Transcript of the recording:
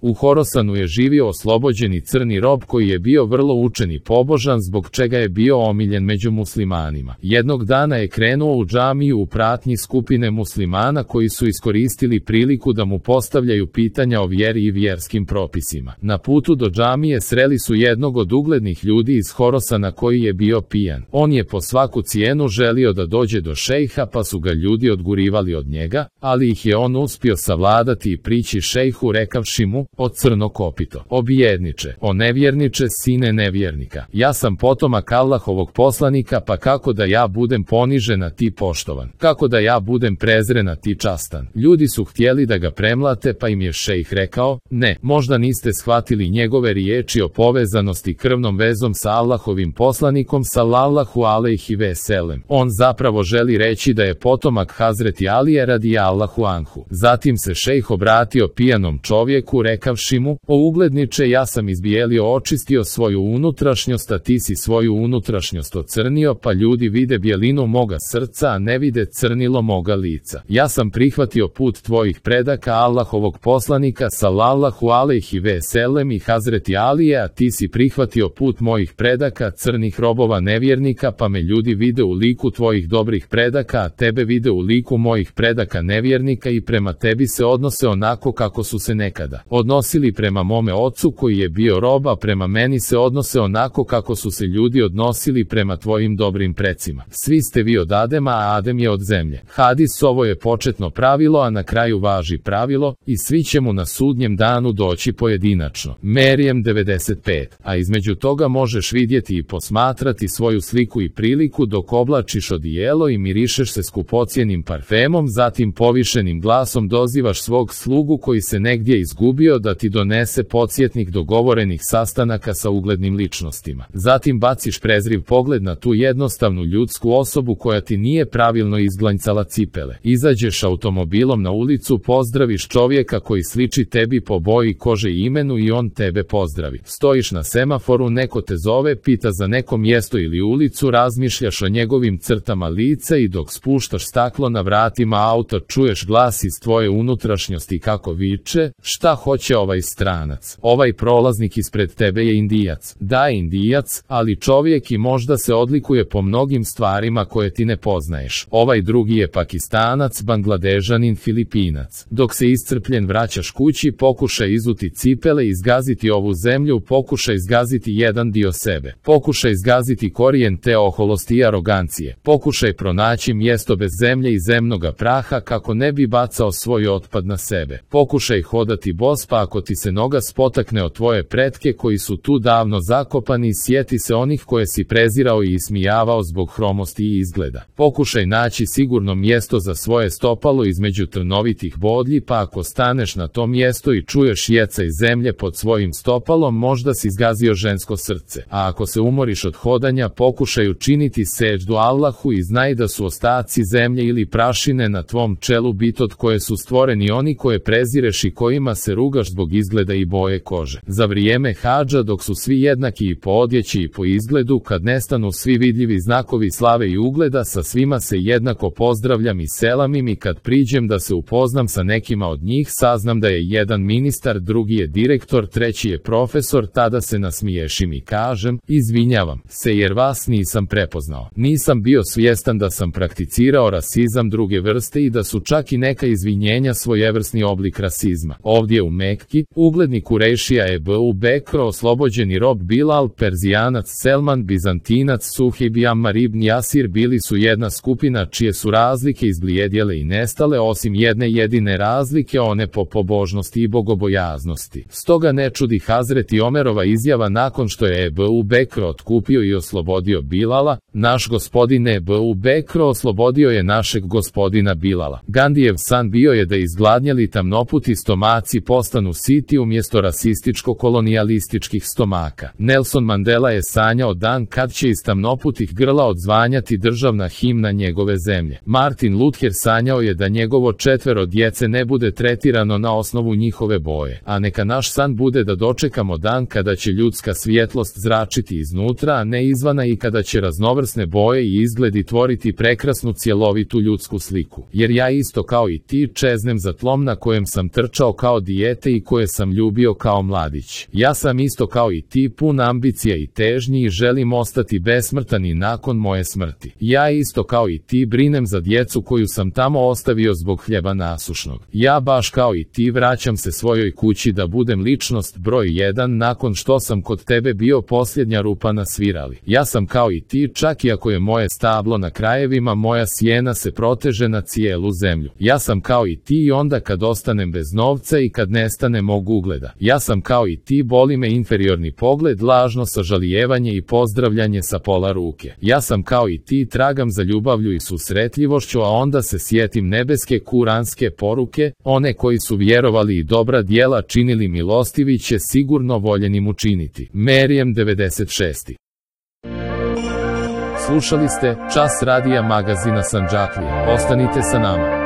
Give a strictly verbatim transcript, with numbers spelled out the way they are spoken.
U Horosanu je živio oslobođeni crni rob koji je bio vrlo učen i pobožan, zbog čega je bio omiljen među muslimanima. Jednog dana je krenuo u džamiju u pratnji skupine muslimana koji su iskoristili priliku da mu postavljaju pitanja o vjeri i vjerskim propisima. Na putu do džamije sreli su jednog od uglednih ljudi iz Horosana koji je bio pijan. On je po svaku cijenu želio da dođe do šejha, pa su ga ljudi odgurivali od njega, ali ih je on uspio savladati i prići šejhu rekavši mu: o crno kopito, o bijedniče, o nevjerniče, sine nevjernika, ja sam potomak Allahovog poslanika, pa kako da ja budem ponižen a ti poštovan, kako da ja budem prezren a ti častan. Ljudi su htjeli da ga premlate, pa im je šejh rekao: ne, možda niste shvatili njegove riječi o povezanosti krvnom vezom sa Allahovim poslanikom sallallahu alejhi ve sellem. On zapravo želi reći da je potomak Hazreti Alije radijallahu anhu. Zatim se šejh obratio pijanom čovjeku rekavši mu: o ugledniče, ja sam izbijelio, očistio svoju unutrašnjost, a ti si svoju unutrašnjost ocrnio, pa ljudi vide bijelinu moga srca, a ne vide crnilo moga lica. Ja sam prihvatio put tvojih predaka Allahovog poslanika sallallahu alejhi ve sellem i Hazreti Alije, a ti si prihvatio put mojih predaka crnih robova nevjernika, pa me ljudi vide u liku tvojih dobrih predaka, a tebe vide u liku mojih predaka nevjernika i prema tebi se odnose onako kako su se nekada odnosili prema mome ocu koji je bio rob, a prema meni se odnose onako kako su se ljudi odnosili prema tvojim dobrim precima. Svi ste vi od Adema, a Adem je od zemlje. Hadis: ovo je početno pravilo, a na kraju važi pravilo, i svi će mu na sudnjem danu doći pojedinačno. Merijem devedeset pet. A između toga možeš vidjeti i posmatrati svoju sliku i priliku dok oblačiš odijelo i mirišeš se skupocjenim parfemom, zatim povišenim glasom dozivaš svog slugu koji se negdje izgubio da ti donese podsjetnik dogovorenih sastanaka sa uglednim ličnostima. Zatim baciš prezriv pogled na tu jednostavnu ljudsku osobu koja ti nije pravilno izglanjcala cipele. Izađeš automobilom na ulicu, pozdraviš čovjeka koji sliči tebi po boji kože i imenu i on tebe pozdravi. Stojiš na semaforu, neko te zove, pita za neko mjesto ili ulicu, razmišljaš o njegovim crtama lica i dok spuštaš staklo na vratima auta čuješ glas iz tvoje unutrašnjosti kako viče: šta hoće ovaj stranac? Ovaj prolaznik ispred tebe je Indijac. Da, Indijac, ali čovjek i možda se odlikuje po mnogim stvarima koje ti ne poznaješ. Ovaj drugi je Pakistanac, Bangladežanin, Filipinac. Dok se iscrpljen vraćaš kući, pokušaj izuti cipele i zgaziti ovu zemlju, pokušaj zgaziti jedan dio sebe. Pokušaj zgaziti korijen te oholosti i arogancije. Pokušaj pronaći mjesto bez zemlje i zemnoga praha kako ne bi bacao svoj otpad na sebe. Pokušaj hodati bos, pa ako ti se noga spotakne o tvoje pretke koji su tu davno zakopani, sjeti se onih koje si prezirao i ismijavao zbog hromosti i izgleda. Pokušaj naći sigurno mjesto za svoje stopalo između trnovitih bodlji, pa ako staneš na to mjesto i čuješ jecaj zemlje pod svojim stopalom, možda si zgazio žensko srce. A ako se umoriš od hodanja, pokušaj učiniti seđdu Allahu i znaj da su ostaci zemlje ili prašine na tvom čelu bit od koje su stvoreni oni koje prezireš i kojima se rugaš zbog izgleda i boje kože. Za vrijeme hadža, dok su svi jednaki i po odjeći i po izgledu, kad nestanu svi vidljivi znakovi slave i ugleda, sa svima se jednako pozdravljam i selamim, i kad priđem da se upoznam sa nekima od njih, saznam da je jedan ministar, drugi je direktor, treći je profesor, tada se nasmiješim i kažem: izvinjavam se jer vas nisam prepoznao. Nisam bio svjestan da sam prakticirao rasizam druge vrste i da su čak i neka izvinjenja svojevrsni oblik rasizma. Ovdje u Mekki, ugledni Kurejšija Ebu Bekr, oslobođeni rob Bilal, Perzijanac Selman, Bizantinac Suhejb i Ammar ibn Jasir bili su jedna skupina čije su razlike izblijedjele i nestale, osim jedne jedine razlike, one po pobožnosti i bogobojaznosti. Stoga ne čudi Hazreti Omerova izjava nakon što je Ebu Bekr otkupio i oslobodio Bilala: naš gospodin Ebu Bekr oslobodio je našeg gospodina Bilala. Gandijev san bio je da izgladnjeli tamnoputi stomaci postanu siti umjesto rasističko-kolonijalističkih stomaka. Nelson Mandela je sanjao dan kad će iz tamnoputih grla odzvanjati državna himna njegove zemlje. Martin Luther sanjao je da njegovo četvero djece ne bude tretirano na osnovu njihove boje. A neka naš san bude da dočekamo dan kada će ljudska svjetlost zračiti iznutra, a ne izvana, i kada će raznovrsne boje i izgledi tvoriti prekrasnu cjelovitu ljudsku sliku. Jer ja isto kao i ti čeznem za tlom na kojem sam trčao kao dijete dijete i koje sam ljubio kao mladić. Ja sam isto kao i ti pun ambicija i težnji i želim ostati besmrtan i nakon moje smrti. Ja isto kao i ti brinem za djecu koju sam tamo ostavio zbog hljeba nasušnog. Ja baš kao i ti vraćam se svojoj kući da budem ličnost broj jedan nakon što sam kod tebe bio posljednja rupa na svirali. Ja sam kao i ti, čak i ako je moje stablo na krajevima, moja sjena se proteže na cijelu zemlju. Ja sam kao i ti i onda kad ostanem bez novca i kad nestane mog ugleda. Ja sam kao i ti, boli me inferiorni pogled, lažno sažalijevanje i pozdravljanje sa pola ruke. Ja sam kao i ti, tragam za ljubavlju i susretljivošću, a onda se sjetim nebeske kuranske poruke, one koji su vjerovali i dobra djela činili, milostivi će sigurno voljenim učiniti. Merijem devedeset šest. Slušali ste Čas radija magazina Sandžaklije. Ostanite sa nama.